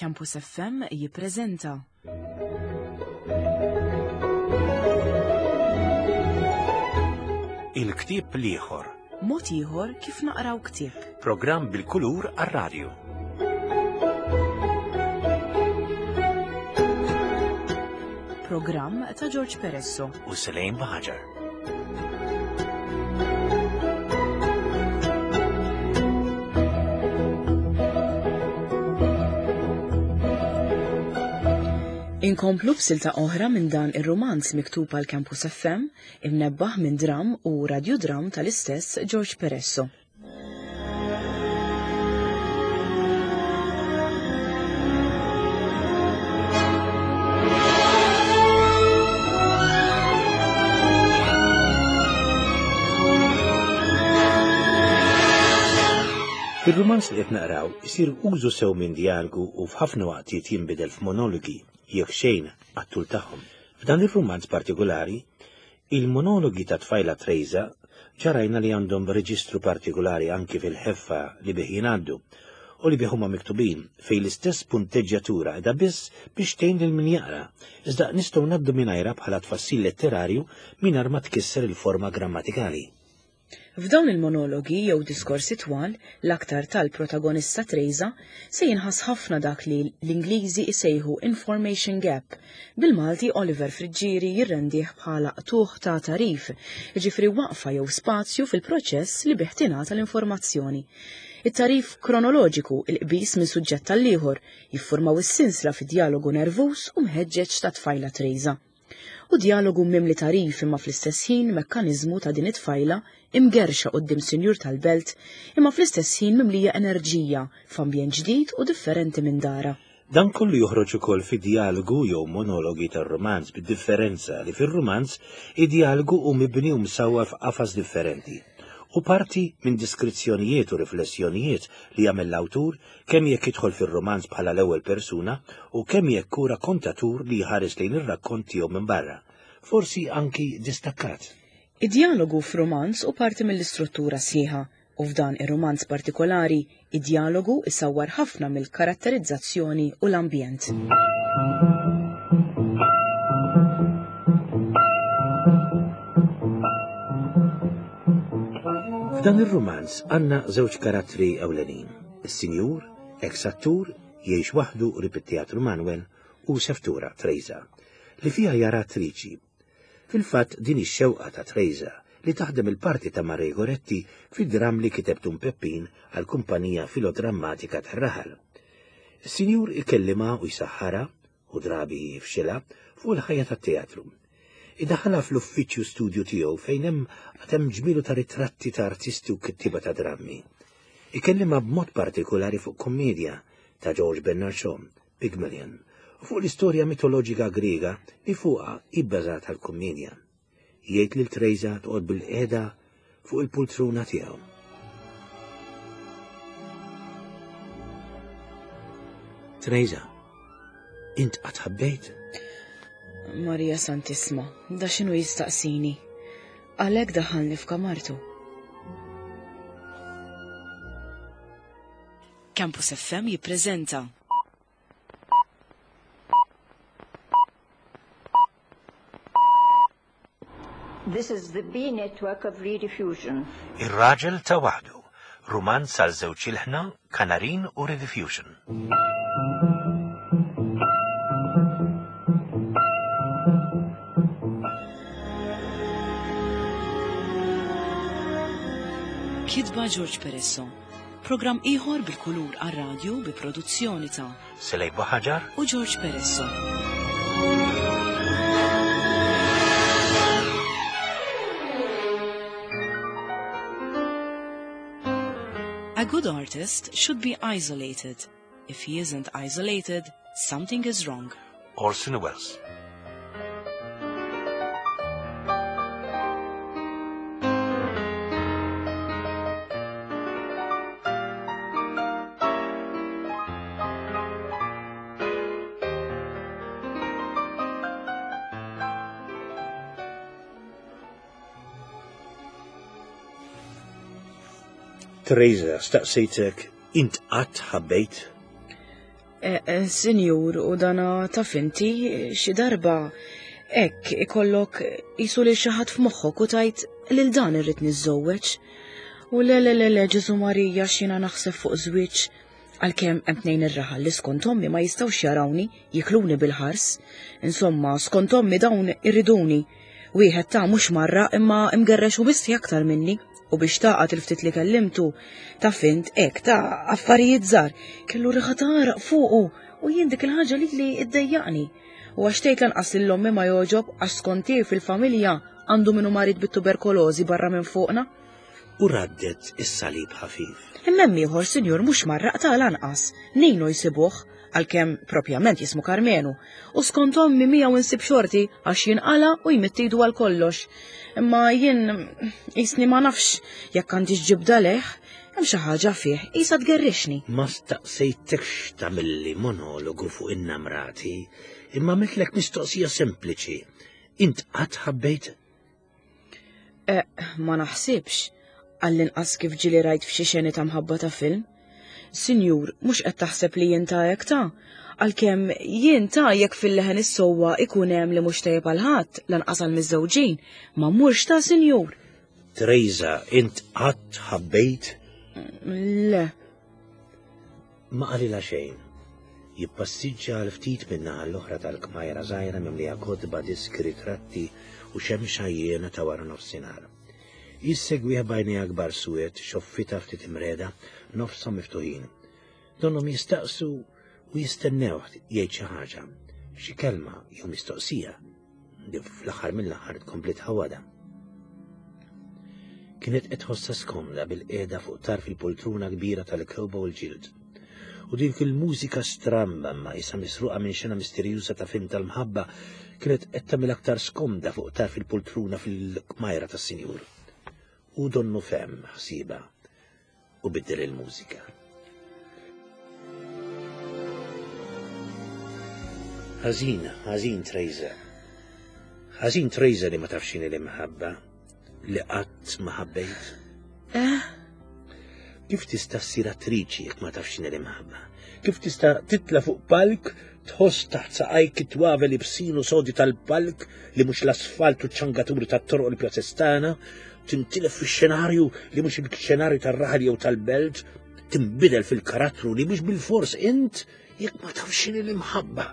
Campus FM jippreżenta. Il-ktieb l-ieħor. Mod ieħor kif naqraw ktieb. Programm bil-kulur għar-radju. Programm ta' George Peresso. U Selejn Baħaġar. Inkomplu b'silta oħra minn dan ir-rumanz miktub għal Campus FM, imnebbaħ minn dram u radiodram tal-istess George Peresso. Fir-rumanz li qed naqraw isir użu sew minn djalgu u f'ħafna waqtiet jinbidel f'monologi jekk xejn għat-tul tagħhom. F'dan ir-rumanz partikolari, Il-monologi ta' tfajla Trejża ġa rajna li għandhom reġistru partikulari anki fil-ħeffa li bih jingħaddu u li bih huma miktubin, fejn l-istess punteġġjatura qiegħda biss biex tgħin lil min jaqra, iżda nistgħu ngħaddu mingħajrha bħala tfassil letterarju mingħajr ma tkisser il-forma grammatikali. F'dawn il-monologi jew diskorsi twal, l-aktar tal-protagonista Trejża, se jinħass ħafna dak li l-Ingliżi jsejħu information gap. Bil-Malti Oliver Friggieri jirrendih bħala qtugħ ta' tagħrif, jiġifieri waqfa jew spazju fil-proċess li bih tingħata l-informazzjoni. It-tagħrif kronoloġiku, il-qbiż minn suġġett għall-ieħor, jiffurmaw is-sinsla fid-djalogu nervuż u mħeġġeġ tat-tfajla Trejża. Hu djalogu mimli tagħrif imma fl-istess ħin mekkaniżmu ta' din it-tfajla imgerrxa quddiem sinjur tal-belt imma fl-istess ħin mimlija enerġija f'ambjent ġdid u differenti minn darha. Dan kollu joħroġ ukoll fid-djalogu jew monologi tar-rumanz bid-differenza li fir-rumanz id-djalogu hu mibni u msawwar f'qafas differenti. Hu parti minn diskrizzjonijiet u riflessjonijiet li jagħmel l-awtur kemm jekk jidħol fir-rumanz bħala l-ewwel persuna u kemm jekk hu rakkontatur li jħares lejn ir-rakkont tiegħu minn barra, forsi anki distakkat. Id-djalogu f'rumanz hu parti mill-istruttura sħiħa u f'dan ir-rumanz partikolari, id-djalogu isawwar ħafna mill-karatterizzazzjoni u l-ambjent. F'dan ir-rumanz għandna żewġ karattri ewlenin, is-Sinjur, eks attur, jgħix waħdu qrib it-Teatru Manuel, u Seftura, Trejża, li fiha jara attriċi. Fil-fatt din ix-xewqa ta' Trejża li taħdem il-parti ta' Marie Goretti fid-dramm li kiteb Dun Peppin għall-kumpanija filodrammatika tar-raħal. Is-Sinjur ikellimha u jsaħħarha u drabi jifxilha, fuq il-ħajja tat-teatru. Idaħħalha fl-uffiċċju studju tiegħu fejn hemm għad hemm ġmielu ta' ritratti ta' artisti u kittieba ta' drammi. Ikellimha b'mod partikulari fuq kummedja ta' George Bernard Shaw, Pygmalion, u fuq l-istorja mitoloġika Griega li fuqha hi bbażata l-kummedja. Jgħid lil Trejża toqgħod bilqiegħda fuq il-pultruna tiegħu. Trejża, int qatt ħabbejt? Marija Santisma, da x'inhu jistaqsini? Għalhekk daħħalni f'kamartu. Campus FM jippreżenta This is the B network of Rediffusion. Ir-Raġel ta' Waħdu, rumanz għal żewġ ilħna, Kanarin u Rediffusion. Kitba George Peresso. Programm ieħor bil-kulur għar-radju bi produzzjoni ta' Selej Buħaġar u George Peresso. A good artist should be isolated. If he isn't isolated, something is wrong. Orson Welles. Teresa, staqsejtek, int qatt ħabbejt? Eh, eh, Sinjur, u dana taf inti xi darba hekk ikollok jisu lil xi ħadd f'moħħok u tajt lil dan irrid niżżewweġ. U le le le le Ġesu Marija x'jiena naħseb fuq żwieġ għalkemm hemm tnejn ir-raħal li skont ommi ma jistgħux jarawni jikluni bil-ħars. Insomma, skont ommi dawn irriduni. Wieħed ta' mhux marra imma imgerrex u mistħi aktar minni u biex taqgħad il-ftit li kellimtu ta' fint hekk ta' affarijiet żgħar kellu riħa ta' għaraq fuqu u jien dik il-ħaġa li li iddejjaqni. U għax tgħid lanqas lil ommi ma jogħġob għax skonti fil-familja għandu minnu marid bit-tuberkolożi barra minn fuqna. U raddet is-salib ħafif. Imma hemm ieħor sinjur mhux marraq ta' lanqas, Nino jsibuh, għalkemm propjament jismu Karmenu, u skont ommi miegħu insib xorti għax jinqala u jmidd idu għal kollox. Imma jien jisni ma nafx jekk għandix ġibda leh, hemm xi ħaġa fih, qisha tgerrixni. Ma staqsejtekx tagħmilli monologu fuq in-namrati, imma għamiltlek mistoqsija sempliċi. Int qatt ħabbejt? Eh, ma naħsibx, għall-inqas kif ġili rajt f'xi xeni ta' mħabba ta' film. Sinjur, mhux qed taħseb li jien ta' hekk ta' għalkemm jien ta' jekk fil-leħen is-sewwa ikun hemm li mhux tajjeb għal ħadd lanqas għal miżżewġin, ma mmurx ta' sinjur. Trejza, int qatt ħabbejt? Le. Ma qalilha xejn. Jippassiġġa għal ftit min-naħa l-oħra tal-kmajra żgħira mimlija kotba, diski, ritratti u xemx għajjiena ta' wara nofsinhar. Hi ssegwih b'għajnejha kbar suwed, xoffitha ftit imreda, nofshom miftuħin. Donnhom jistaqsu u jistennewh jgħid xi ħaġa, xi kelma jew mistoqsija. li fl-aħħar mill-aħħar tkompli tħawwadha. Kienet qed tħossha skomda bil-qiegħda fuq tarf il-poltruna kbira tal-kewba u l-ġild. U din fil-mużika stramba ma isa misruqa minn xena misterjuża ta' film tal-mħabba kienet qed tagħmel aktar skomda fuq tarf il-poltruna fil-kmajra tas-sinjur. U donnu fem ħsiba u biddel il-mużika. Ħażin, ħażin Trejza. Ħażin Trejza li ma tafx x'inhi l-imħabba li qatt ma ħabbejt. Eh? Kif tista' ssir attriċi jekk ma tafx x'inhi l-imħabba? Kif tista' titla' fuq palk tħoss taħt saqajk it-twavel ibsin u sodi tal-palk li mhux l-asfalt u ċ-ċangaturi tat-toroq il-pjazzestana, tintilef fix-xenarju li mhux il-xenarju tar-raħal jew tal-belt, tinbidel fil-karattru li mhux bil-fors int jekk ma tafx x'inhi l-imħabba.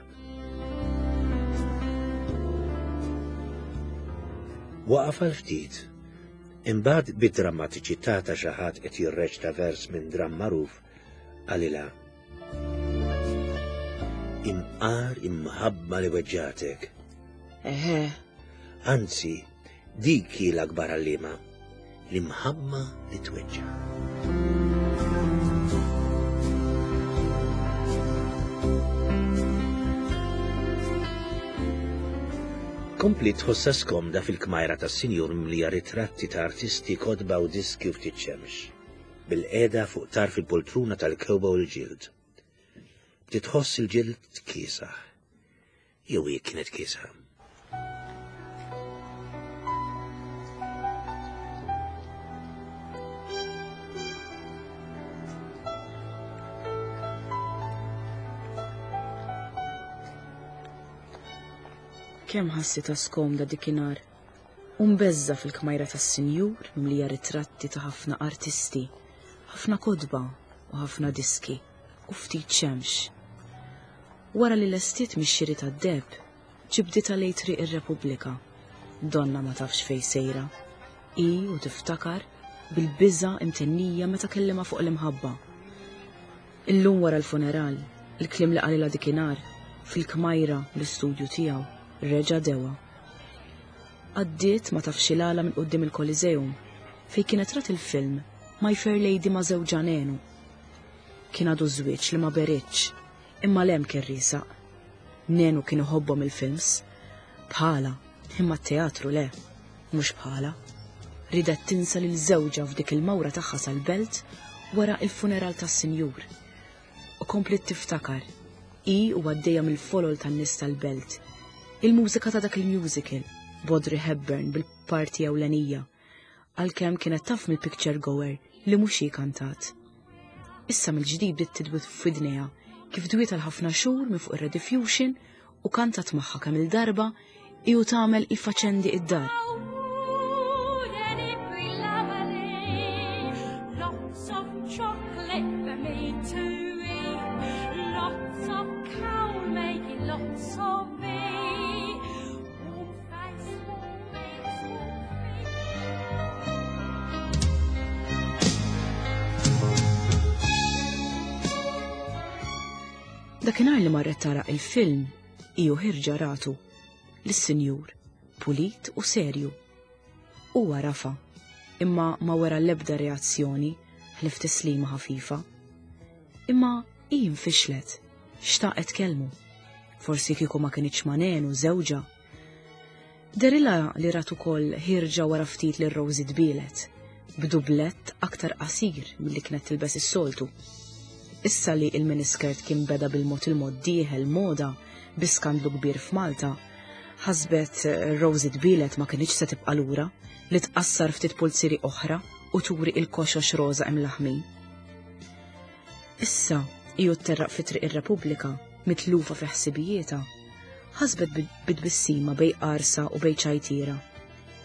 Waqaf għal ftit, imbagħad bid-drammatiċità ta' xi ħadd qed jirreċta vers minn dramm magħruf qalilha Imqar imħabba li weġġatek. Eħe. Anzi, Dik hi l-akbar għalliema, l-imħabba li tweġġa'. Kompliet tħossha skomda fil-kmajra tas-sinjur mimlija ritratti ta' artisti, kotba u diski u ftit xemx. Bilqiegħda fuq tarf il-poltruna tal-kewba u l-ġild. Bdiet tħoss il-ġild kiesaħ. Jew hi kienet kiesħa. Kemm ħassitha skomda dikinhar u mbeżża' fil-kmajra tas-sinjur mimlija ritratti ta' ħafna artisti, ħafna kotba u ħafna diski u ftit xemx. Wara li lestiet mix-xiri tad-deheb, ġibditha lejn Triq ir-Repubblika. Donnha ma tafx fejn sejra. Hi u tiftakar bil-biża' imtennija meta kellimha fuq l-imħabba. Illum wara l-funeral, il-kliem li qalilha dikinhar, fil-kmajra l-istudju tiegħu, reġa' dewa. Għaddiet ma tafx il-għala minn quddiem il-Coliseum, fejn kienet rat il-film My Fair Lady ma' żewġha Nenu. Kien għadu żwieġ li ma beridx, Imma 'l hemm kien riesaq. Nenu kien iħobbhom il-films. Bħalha, imma t-teatru le. Mhux bħalha. Riedet tinsa lil żewġha f'dik il-mawra tagħha sal-belt wara il-funeral tas-sinjur. U kompliet tiftakar, hi u għaddejja mill-folol tan-nies tal-belt, il-mużika ta' dak il-musical, b'Audrey Hepburn bil-parti ewlenija, għalkemm kienet taf mill-picture goer li mhux hi kantat. Issa mill-ġdid bdiet tidwi f'widnejha kif dwiet għal ħafna xhur minn fuq ir-Rediffusion u kantat magħha kemm il-darba hi u tagħmel il-faċendi id-dar. Dakinhar li marret tara il-film, iju ħirġa ratu lis-sinjur, pulit u serju. Huwa rafa, imma ma wera l-ebda reazzjoni ħlief tislima ħafifa. Imma hi nfixlet, xtaqet tkellmu. Forsi kieku ma kinitx ma' Nenu żewġha. Dehrilha li rat ukoll ħierġa wara ftit lil Rosie tbielet, b'dublett aktar qasir milli kienet tilbes is-soltu. Issa li il-miniskirt kien beda bil-mod il-mod dieħel moda bi skandlu kbir f'Malta, ħasbet Rosie tbielet ma kinitx se tibqa' lura li tqassar ftit pulzieri oħra u turi il-koxox roża imlaħmin. Issa, hi u tterraq fi Triq ir-Repubblika, mitlufa fi ħsibijietha, ħasbet bi tbissima bejn qarsa u bejn ċajtiera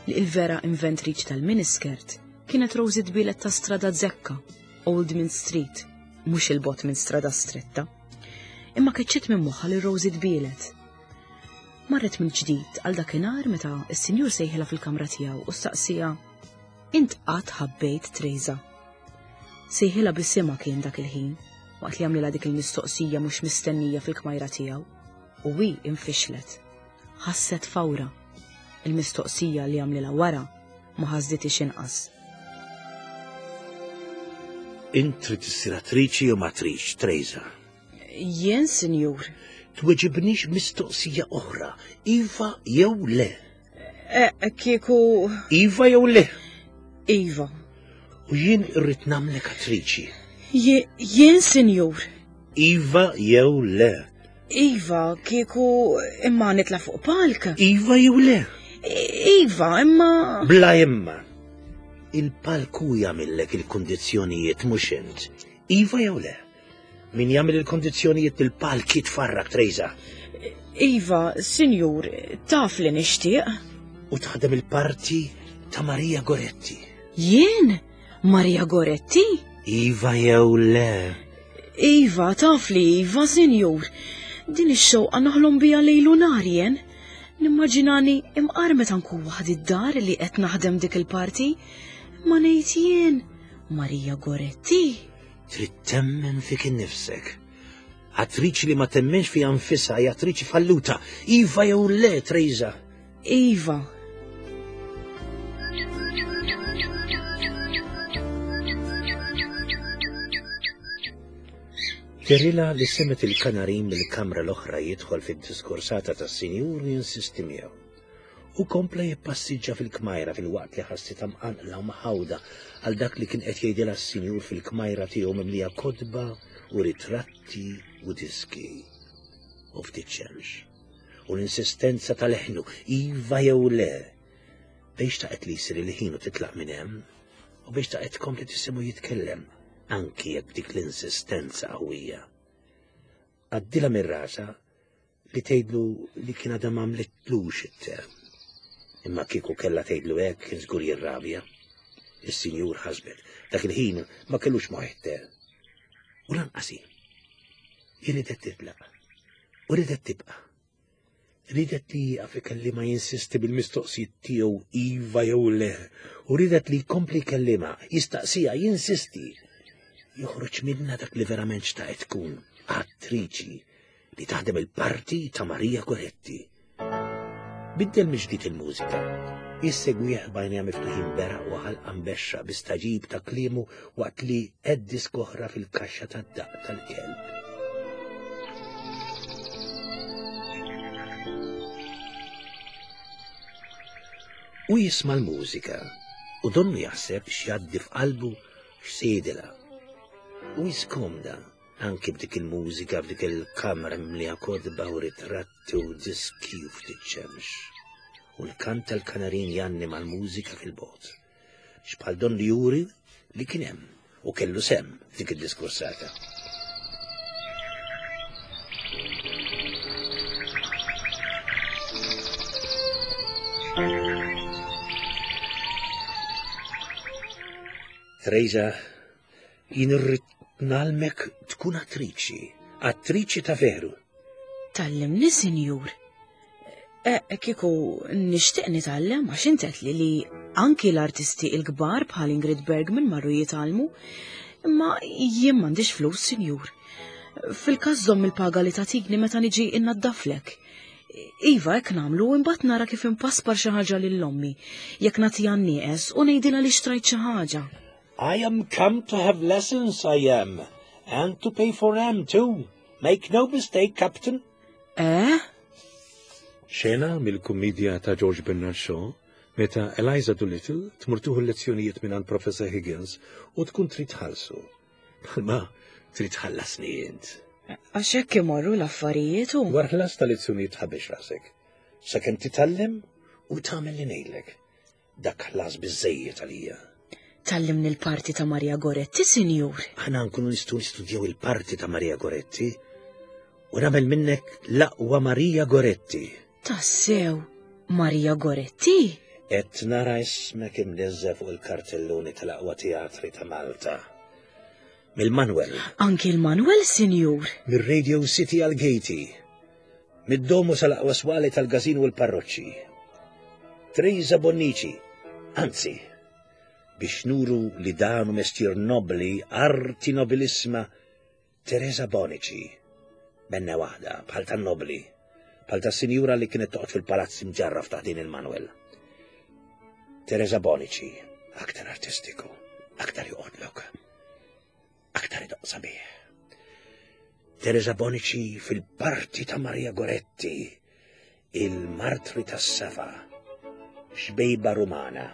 li il-vera inventriċi tal-miniskirt kienet Rosie Tbielet ta' Strada Zekka, Old Mint Street, mhux 'il bogħod minn Strada Stretta. Imma keċċiet minn moħħha lil Rosie Tbielet. Marret mill-ġdid għal dakinhar meta s-sinjur sejħilha fil-kamra tiegħu u staqsiha, Int qatt ħabbejt Trejża? Sejħilha b'isimha kien dak il-ħin, waqt li għamlilha dik il-mistoqsija mhux mistennija fil-kmajra tiegħu, u hi infixlet. Ħasset fawra. Il-mistoqsija li għamlilha wara ma ħasditix inqas. Int trid issir attriċi jew ma tridx, Trejża? Jien, sinjur. Tweġibnix mistoqsija oħra, iva jew le. Eh, kieku. Iva jew le? Iva. U jien irrid nagħmlek attriċi. Jien, sinjur. Iva jew le? Iva, kieku imma nitla fuq palk. Iva jew le? Iva, imma. Bla imma. Il-palku jagħmillek il-kundizzjonijiet mhux int. Iva jew le? Min jagħmel il-kondizzjonijiet il-palk jitfarrak Trejza. Iva, sinjur, taf li nixtieq. U taħdem il-parti ta' Maria Goretti. Jien? Maria Goretti? Iva jew le? Iva, taf li iva, sinjur. Din ix-xewqa naħlom biha lejlu nhar jien. Nimmaġinani imqar meta nkun waħdi d-dar li qed naħdem dik il-parti. Ma ngħid jien, Maria Goretti? Trid temmen fik innifsek. Attriċi li ma temmenx fiha nfisha hija attriċi falluta. Iva jew le, Trejza? Iva. Terila li semet il-kanarin mill-kamra l-oħra jidħol fid-diskursata tas-sinjur u jinsisti miegħu. Hu kompla jippassiġġa fil-kmajra filwaqt li ħassitha mqanqla u mħawda għal dak li kien qed jgħidilha s-sinjur fil-kmajra tiegħu mimlija kotba u ritratti u diski. U ftit xemx. U l-insistenza ta' leħnu, iva jew le. Bejn xtaqet li jsir il-ħin u titlaq minn hemm, u bejn xtaqet tkompli tisimgħu jitkellem, anki jekk b'dik l-insistenza qawwija. Għaddilha minn rasha li tgħidlu li kien għadha m'għamlitlux it-te. Imma kieku kellha tgħidlu hekk kien żgur jirrabja. Is-sinjur ħasbet, dak il-ħin ma kellux moħħ it-te. U lanqas hi. Hi ridet titlaq. U ridet tibqa'. Ridet li jieqaf ikellimha jinsisti bil-mistoqsijiet tiegħu iva jew le. U ridet li jkompli jkellimha, jistaqsiha, jinsisti. Joħroġ minnha dak li verament xtaqet tkun, attriċi li taħdem il-parti ta' Maria Goretti. Biddel mill-ġdid il-mużika. Jissegwih b'għajnejha miftuħin beraq u ħalqa mbexxa bi staġib ta' kliemu waqt li qed disk oħra fil-kaxxa tad-daqq tal-kelb. U jisma' l-mużika u donnu jaħseb x'jgħaddi f'qalbu x'se jgħidilha. U jiskomda Anki b'dik il-mużika f'dik il-kamra mimlija kotba u ritratti u diski u ftit xemx. U l-kant tal-kanarin jgħanni mal-mużika fil-bogħod. X'bħal don li juri li kien hemm u kellu sehem f'dik id-diskursata. Teresa, jien irrid nagħlmek tkun attriċi, attriċi ta' veru. Tallimni, sinjur. E, kieku nixtieq nitgħallem għax int li li anki l-artisti il-kbar bħal Ingrid Bergman marru jitgħallmu, imma jien m'għandix flus, sinjur. Fil-każ żomm il-paga li tagħtikni meta niġi innaddaflek. Iva, hekk nagħmlu imbagħad nara kif impaspar xi ħaġa lil ommi, jekk nagħtiha nieqes u ngħidilha li xtrajt xi ħaġa. I am come to have lessons, I am, and to pay for 'em too. Make no mistake, Captain. Eh? Xena mill-kummedja ta' George Bernard Shaw, meta Eliza Doolittle tmur tieħu l-lezzjonijiet mingħand Professor Higgins u tkun trid tħallsu. Bħalma trid tħallasni int. Għax hekk imorru l-affarijiet u. Dwar ħlas ta' lezzjonijiet tħabbix rasek. Sakemm titgħallem u tagħmel li ngħidlek. Dak ħlas biżejjed għalija. Tallimni l-parti ta' Maria Goretti, sinjur. Aħna nkunu nistgħu nistudjaw il-parti ta' Maria Goretti u nagħmel minnek l-aqwa Maria Goretti. Tassew, Maria Goretti? Qed nara ismek imniżżel fuq il-kartelluni tal-aqwa teatri ta' Malta. Mill-Manuel. Anki l-Manuel, sinjur. Mir-Radio City għal Gaiety. Mid-domu sal-aqwa swali tal-gazin u l-parroċċi. Teresa Bonnici, anzi, biex nuru li dan hu mestier nobli, arti nobilissima, Teresa Bonici, benna waħda, bħal tan-nobli, bħal tas-sinjura li kienet toqgħod fil-palazz imġarraf ta' din il-Manuel. Teresa Bonici, aktar artistiku, aktar joqgħodlok. Aktar idoq sabiħ. Teresa Bonici fil-parti ta' Maria Goretti, il-martri tas-safa, xbejba Rumana.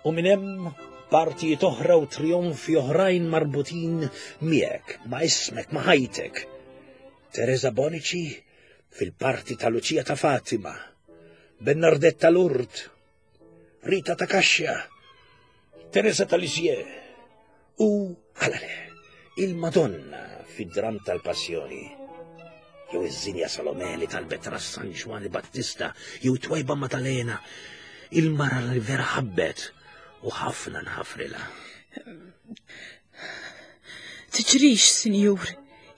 U minn hemm partijiet oħra u trionfi oħrajn marbutin miegħek, ma' ismek, ma' ħajtek. Teresa Bonici fil-parti ta' Lucia ta' Fatima, Bernardetta Lourdes, Rita ta' Kaxxa, Teresa ta' Lisieux u għala le, il-Madonna fid-dram tal-Passjoni. Jew iż-Zinja Salome li talbet ras San Ġwanni Battista, jew twajba Maddalena, il-mara li vera ħabbet u ħafna nħafrilha. Tiġrix, sinjur.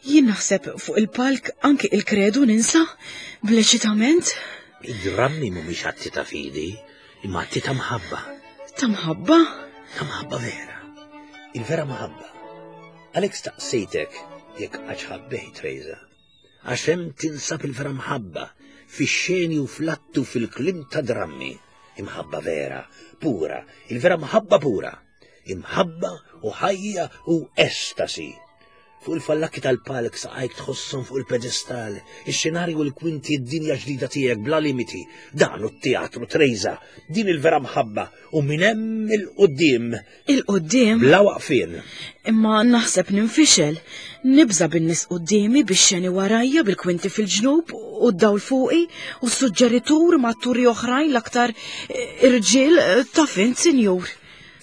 Jien naħseb fuq il-palk anki il-kredu ninsa bl-eċitament. Id-drammi mhumiex atti ta' fidi, imma atti ta' mħabba. Ta' mħabba? Ta' mħabba vera. Il-vera mħabba. Għalhekk staqsejtek jekk għax ħabbejt Rejza. Għax hemm tinsab il-vera mħabba, fix-xeni u fl-attu fil-klim ta' drammi. Imħabba vera, pura, il-vera mħabba pura. Imħabba u ħajja u estasi. Fuq il-fallakki tal-palk saqajk tħosshom fuq il-pedestal, ix-xenarju u l-kwinti d-dinja ġdida tiegħek bla limiti. Dan hu t-teatru Trejza, din il-vera mħabba u minn hemm il-quddiem. Il-quddiem? Bla waqfien. Imma naħseb ninfixel. Nibża' bin-nies quddiemi bix-xeni warajja bil-kwinti fil-ġnub u d-dawl fuqi u s-suġġeritur ma' atturi oħrajn l-aktar eh, irġiel eh, taf int, sinjur.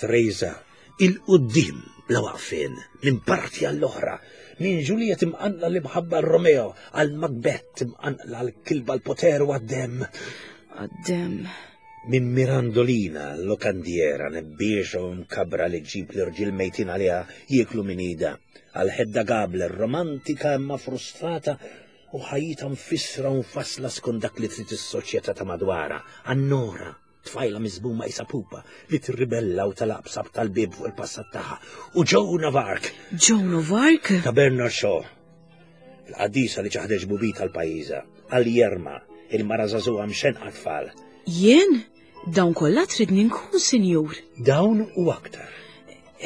Trejza, il-quddiem bla waqfien, minn parti għall-oħra, minn Juliet imqanqla l-imħabba għal Romeo, għal Macbeth imqanqla l-kilba l-poter u għad-demm. Għad-demm. Minn Mirandolina, l-lokandiera nebbiexa u mkabbra li ġġib l-irġiel mejtin għaliha jieklu minn idha, għal Hedda Gabler, romantika imma frustrata u ħajjitha mfissra u mfassla skont dak li trid is-soċjetà ta' madwarha, għal Nora, tfajla miżmuma qisha pupa li tirribella u talaq b'sab tal-bieb fuq il-passat tagħha, u Joan of Arc. Joan of Arc? Ta' Bernard Shaw. Il-qaddisa li ċaħdet ġbubita għal pajjiżha, għal Jerma, il-mara żagħżugħa mxenqa tfal. Jien? Dawn kollha tridni nkun, sinjur. Dawn u aktar.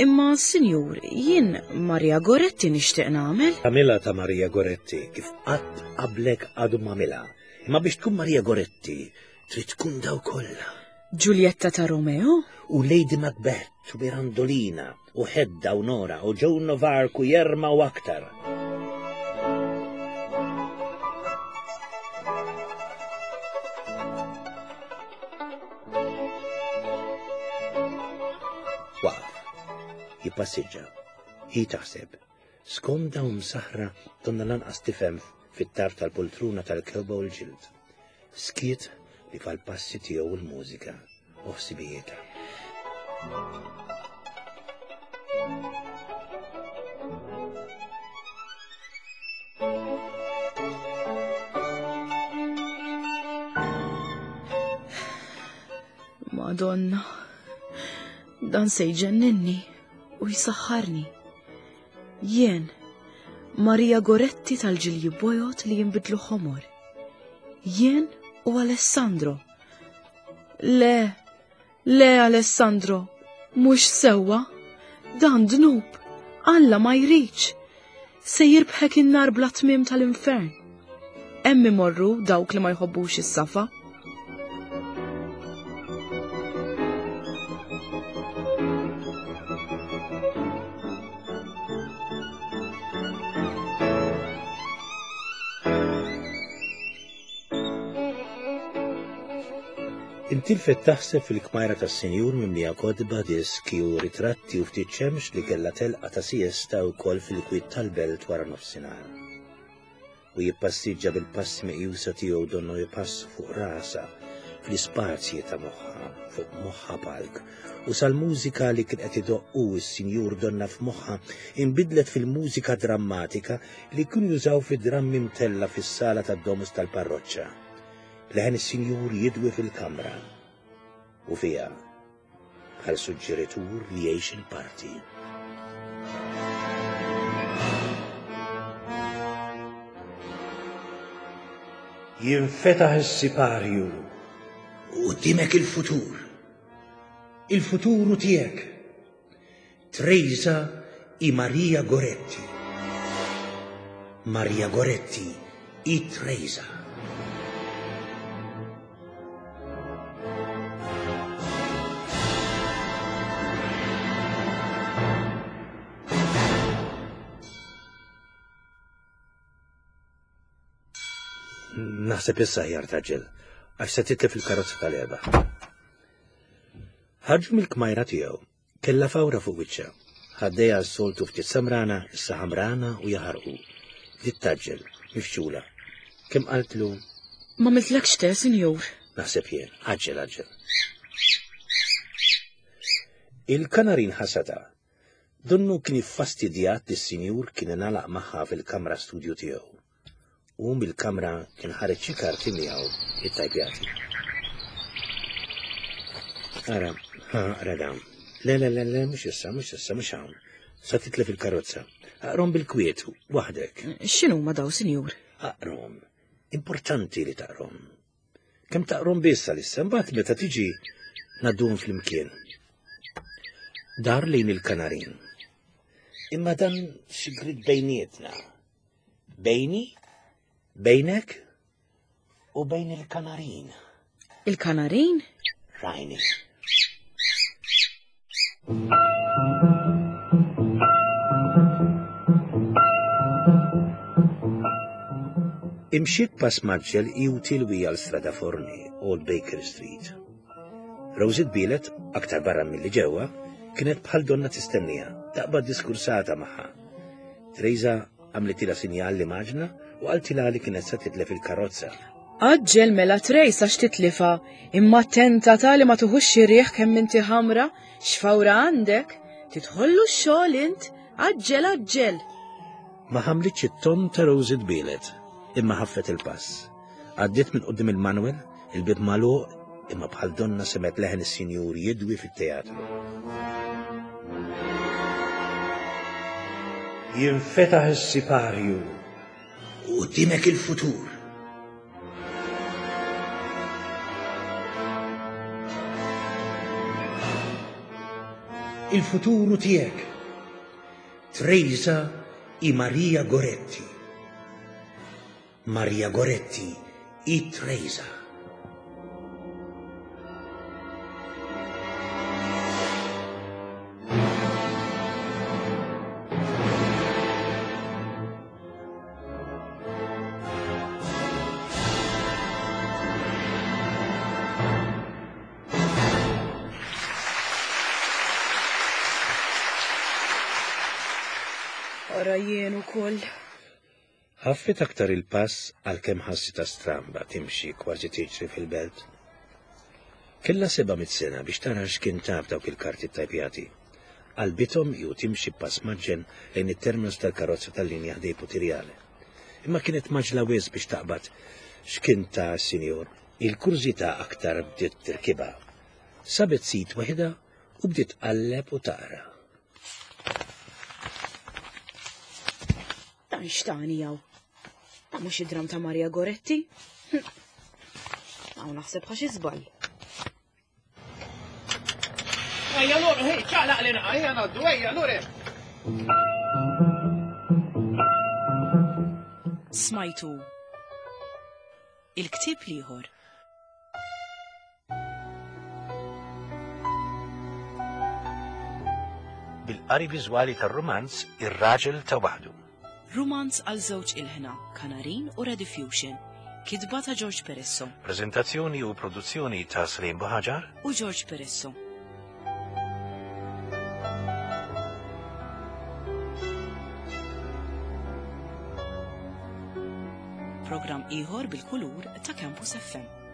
Imma, sinjur, jien Maria Goretti nixtieq nagħmel. Tagħmilha ta' Maria Goretti kif qatt qablek għadu m'għamilha. Imma biex tkun Maria Goretti, Trid tkun daw kollha. Giulietta ta' Romeo? U Lady Macbeth u Mirandolina u Hedda u Nora u Joan of Arc u Jerma u aktar. Waqaf, jippassiġġa, hi taħseb, skomda u msaħra donna lanqas tifhem fit-tarf tal-poltruna tal-kewba u l-ġild. Skiet li fal-passi tiegħu l-mużika u ħsibijietha. Madonna, dan se jġenninni u jsaħħarni. Jien, Maria Goretti tal-ġilji bojot li jinbidlu ħomor. Jien u Alessandro. Le, le Alessandro, mhux sewwa, dan dnub, Alla ma jridx. Se jirbħek in-nar bla tmiem tal-infern. Hemm imorru dawk li ma jħobbux is-safa. Intilfet taħseb fil-kmajra tas-sinjur mimlija kotba, diski u ritratti u ftit xemx li kellha telqa ta' siesta wkoll fil-kwiet tal-belt wara nofsinhar. U jippassiġġa bil-passi meqjusa tiegħu donnu jpassu fuq rasha fl-ispazji ta' moħħha, fuq moħħha palk, u sal-mużika li kien qed idoqq hu s-sinjur donna f'moħħha inbidlet fil-mużika drammatika li kienu jużaw fi drammi mtella' fis-sala tad-domus tal-parroċċa. Leħen is-sinjur jidwi fil-kamra u fiha bħal suġġeritur li jgħix il-parti. Jinfetaħ is-siparju u qudiemek il-futur. Il-futuru tiegħek. Trejza hi Maria Goretti. Maria Goretti hi Trejza. Naħseb issa ħjar taġġel, għax se titlef il-karozza tal-erba. Ħarġu mill-kmajra tiegħu Kellha fawra fuq wiċċha. Ħaddejha s-soltu ftit samrana, issa ħamrana u jaħarqu. Bdiet tgħaġġel, mifxula. Kemm qaltlu. M'għamiltlekx te, sinjur? Naħseb jien. Għaġġel, għaġġel. Il-kanarin ħasada. Donnu kien iffastidjat li s-sinjur kien ingħalaq magħha fil-kamra studju tiegħu. U mill-kamra kien ħareġ xi karti miegħu ittajpjati. Ara, ha, ara dawn. Le, le, le, le, mhux issa, mhux issa, mhux hawn. Sa titlef il-karozza. Aqrom bil-kwiet, waħdek. X'inhuma daw, sinjur? Aqrom. Importanti li taqrom. Kemm taqrom biss għalissa, mbagħad meta tiġi ngħadduhom flimkien. Dar lejn il-kanarin. Imma dan sigrit bejnietna. Bejni, bejnek u bejn il-kanarin. Il-kanarin? Rajni. Imxiet pass maġġel i tilwi għal Strada Forni, Old Baker Street. Rosie tbielet, aktar barra milli ġewwa, kienet bħal donna tistennija, taqbad diskursata magħha. Teresa għamlitilha sinjal li maġna u qaltilha li kienet se titlef il-karozza. Għaġġel mela Trace għax titlifha, imma attenta ta' li ma tuħux xi riħ kemm inti ħamra, x'fawra għandek, tidħollu x-xogħol int, għaġġel għaġġel. Ma ħamlitx it-ton ta' Rosie tbielet, imma ħaffet il-pass. Għaddiet minn quddiem il-Manuel, il-bieb magħluq, imma bħal donna semgħet leħen is-sinjur jidwi fit-teatru. Jinfetaħ is-siparju u quddiemek il-futur. Il-futuru tiegħek. Trejza i Maria Goretti. Maria Goretti i Trejza. Ara jien ukoll. Ħaffet aktar il-pass għalkemm ħassitha stramba timxi kważi tiġri fil-belt. Kellha 700 sena biex tara x'kien taf dawk il-karti ttajpjati. Qalbithom hi u timxi b'pass mgħaġġel lejn it-terminus tal-karozza tal-linja ħdej Putirjale. Imma kienet mgħaġġla wisq biex taqbad x'kien ta s-sinjur. Il-kurżità aktar bdiet tirkibha. Sabet sit waħidha u bdiet tqalleb u taqra. Dan x'tani hawn? Dan mhux id-dram ta' Maria Goretti? Hm. Hawn naħseb ħa xi żball. Ejja Lore, hej, ċaqlaq li naqa, ejja ngħaddu, ejja Lore. Smajtu il-ktieb l-ieħor. Bil-qari viżwali tar-rumanz Ir-Raġel ta' Waħdu. Rumanz għal żewġ ilħna, Kanarin u Rediffusion. Kitba ta' George Peresso. Preżentazzjoni u produzzjoni ta' Slim Buħaġar u George Peresso. Programm ieħor bil-kulur ta' Campus FM.